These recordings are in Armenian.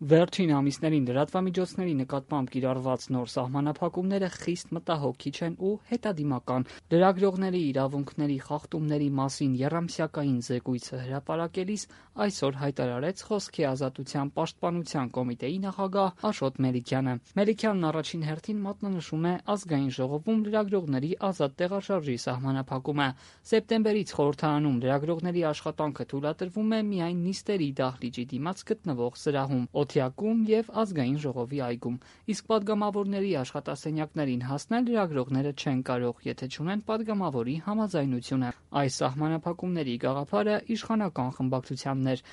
Վերջին ամիսներին լրատվամիջոցների նկատմամբ կիրառված նոր սահմանափակումները խիստ մտահոգիչ են ու հետադիմական։ Լրագրողների իրավունքների խախտումների մասին եռամսյակային զեկույցը հրապարակելիս այսօր հայտարարեց Խոսքի ազատության պաշտպանության կոմիտեի նախագահ Աշոտ Մելիքյանը։ Մելիքյանն առաջին հերթին մատնանշում է Ազգային ժողովում լրագրողների ազատ տեղաշարժի սահմանափակումը։ Սեպտեմբերից խորհրդարանում լրագրողների աշխատանքը թույլատրվում է միայն նիստերի դահլիճի դիմաց գտնվող սրահում, օթյակում և Ազգային ժողովի այգում, իսկ պատգամավորների աշխատասենյակներին հասնել լրագրողները չեն կարող, եթե չունեն պատգամավորի համաձայնությունը։ Այս սահմանափակումների գաղափարը իշխանական խմբակցությանն էր,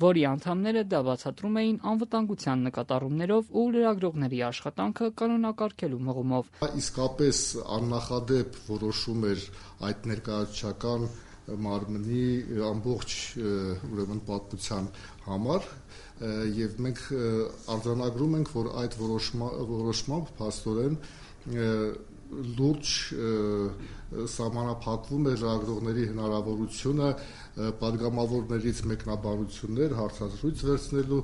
որի անդամները դա բացատրում էին անվտանգության նկատառումներով ու լրագրողների աշխատանքը կանոնակարգելու մղումով։ Իսկապես աննախադեպ որոշում էր այդ ներկայացուցչական մարմնի ամբողջ պատմության համար, եւ մենք արձանագրում ենք, որ այդ որոշմամբ փաստորեն լուրջ սահմանափակվում է լրագրողների հնարավորությունը պատգամավորներից մեկնաբանություններ, հարցազրույց վերցնելու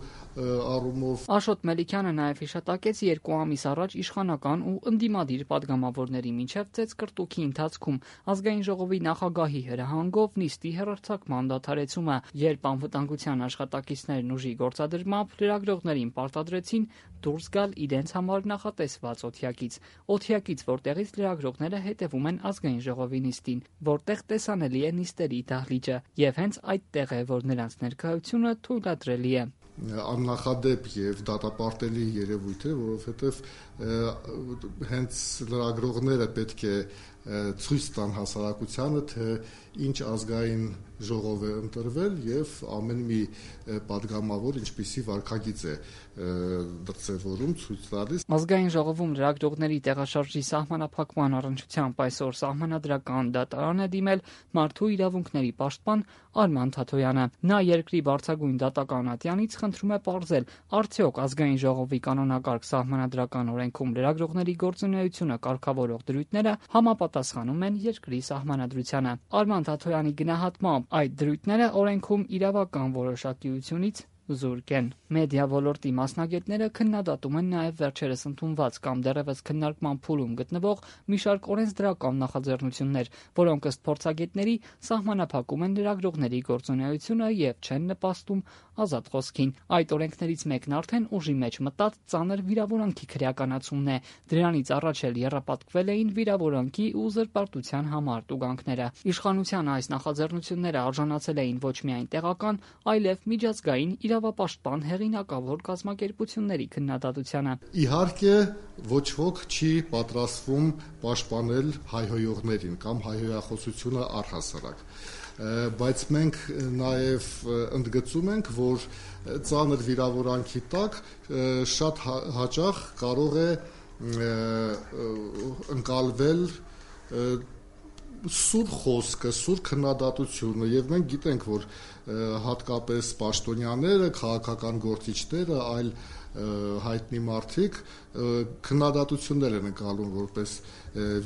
առումով։ Աշոտ Մելիքյանը նաև հիշատակեց 2 ամիս առաջ իշխանական ու ընդդիմադիր պատգամավորների միջև ծեծկռտուքի ընթացքում Ազգային ժողովի նախագահի հրահանգով նիստի հեռարձակման դադարեցումը, երբ անվտանգության աշխատակիցներն ուժի գործադրմամբ լրագրողներին պարտադրեցին դուրս գալ իրենց համար նախատեսված օթյակից, որտեղից լրագրողները հետևում են Ազգային ժողովի նիստին, որտեղ տեսանելի է նիստերի դահլիճը, եւ հենց այդտեղ է, որ նրանց ներկայությունը թույլատրելի է։ Աննախադեպ եւ դատապարտելի երևույթ է, որովհետեւ հենց լրագրողները պետք է ցույց տան հասարակությանը, թե ինչ ազգային ժողով է ընտրվել եւ ամեն մի պատգամավոր ինչպիսի վարքագիծ է դրսևորում, ցույց տալիս։ Ազգային ժողովում լրագրողների տեղաշարժի սահմանափակման առնչությամբ այսօր սահմանադրական դատարան է դիմել մարդու իրավունքների պաշտպան Արման Թաթոյանը։ Նա երկրի բարձրագույն դատական ատյանից խնդրում է պարզել, արդյոք Ազգային ժողովի կանոնակարգ սահմանադրական օրենքում լրագրողների գործունեությունը կարգավորող դրույթները համապատասխանում են երկրի սահմանադրությանը։ Արման Թաթոյանի գնահատմամբ այդ դրույթները օրենքում իրավական որոշակիությունից զուրկ են։ Մեդիա ոլորտի մասնագետները քննադատում են նաև վերջերս ընդունված կամ դեռևս քննարկման փուլում գտնվող մի շարք օրենսդրական նախաձեռնություններ, որոնք ըստ փորձագետների սահմանափակում են լրագրողների գործունեությունը եւ չեն նպաստում ազատ խոսքին։ Այդ օրենքներից մեկն արդեն ուժի մեջ մտած ծանր վիրավորանքի քրեականացումն է։ Դրանից առաջ էլ եռապատկվել էին վիրավորանքի ու զրպարտության համար տուգանքները։ Իշխանության այս նախաձեռնությունները արժանացել էին ոչ միայն տեղական, այլև միջազգային իրավապաշտպան հեղինակավոր կազմակերպությունների քննադատությանը։ Իհարկե, ոչ ոք չի պատրաստվում պաշտպանել հայհոյողներին կամ հայհոյախոսությունը առհասարակ, բայց մենք նաև ընդգծում ենք, որ ծանր վիրավորանքի տակ շատ հաճախ կարող է ընկալվել սուր խոսքը, սուր քննադատությունը, եւ մենք գիտենք, որ հատկապես պաշտոնյաները, քաղաքական գործիչները, այլ հայտնի մարդիկ քննադատություններ են ընկալում որպես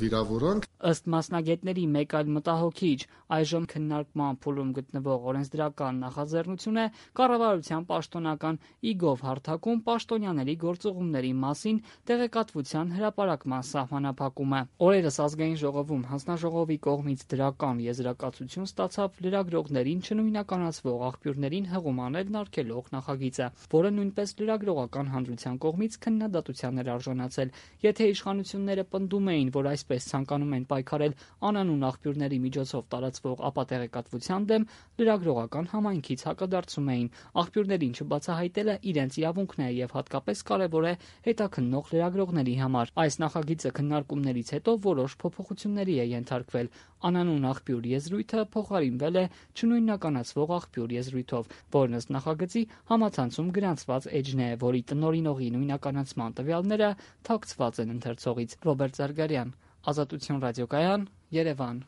վիրավորանք։ Ըստ մասնագետների մեկ այլ մտահոգիչ այժմ քննարկման փուլում գտնվող օրենսդրական նախաձեռնություն է կառավարության պաշտոնական e-gov հարթակում պաշտոնյաների գործուղումների մասին տեղեկատվության հրապարակման սահմանափակումը։ Օրերս Ազգային ժողովում հանձնաժողովի կողմից դրական եզրակացություն ստացավ լրագրողներին չնույնականացվող աղբյուրներին հղում անել արգելող նախագիծը, որը նույնպես լրագրողական հանրության կողմից քննադատության էր արժանացել։ Եթե իշխանությունները պնդում էին, որ այսպես ցանկանում են պայքարել անանուն աղբյուրների միջոցով տարածվող ապատեղեկատվության դեմ, լրագրողական համայնքից հակադարձում էին։ Աղբյուրներին չբացահայտելը իրենց իրավունքն է եւ հատկապես կարեւոր է հետաքննող լրագրողների համար։ Այս նախագիծը քննարկումներից հետո որոշ փոփոխությունների է ենթարկվել։ Անանուն աղբյուր եզրույթը փոխարինվել է չնույնականացվող աղբյուր եզրույթով, որն ըստ նախագծի համացանցում գրանցված էջն է, որի տնօրինողի նույնականացման տվյալները թաքցված են ընթերցողից։ Ռոբերտ Զարգարյան, Ազատություն ռադիոկայան, Երևան։